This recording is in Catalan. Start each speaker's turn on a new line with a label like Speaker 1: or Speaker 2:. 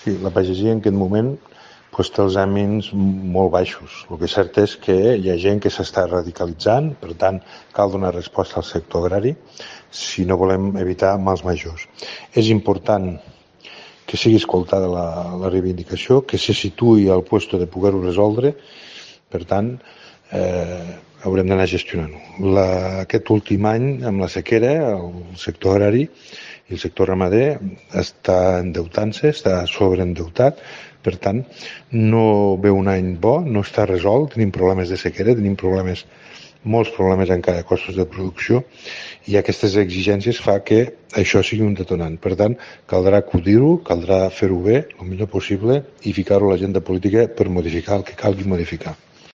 Speaker 1: Sí, la pagesia en aquest moment té els àmbits molt baixos. El que és cert és que hi ha gent que s'està radicalitzant, per tant, cal donar resposta al sector agrari si no volem evitar mals majors. És important que sigui escoltada la reivindicació, que se situï al lloc de poder-ho resoldre, per tant, haurem d'anar gestionant-ho. Aquest últim any, amb la sequera, el sector agrari i el sector ramader està endeutant-se, està sobreendeutat, per tant, no ve un any bo, no està resolt, tenim problemes de sequera, tenim molts problemes encara de costos de producció i aquestes exigències fa que això sigui un detonant. Per tant, caldrà acudir-ho, caldrà fer-ho bé, el millor possible i ficar-ho a l'agenda política per modificar el que calgui modificar.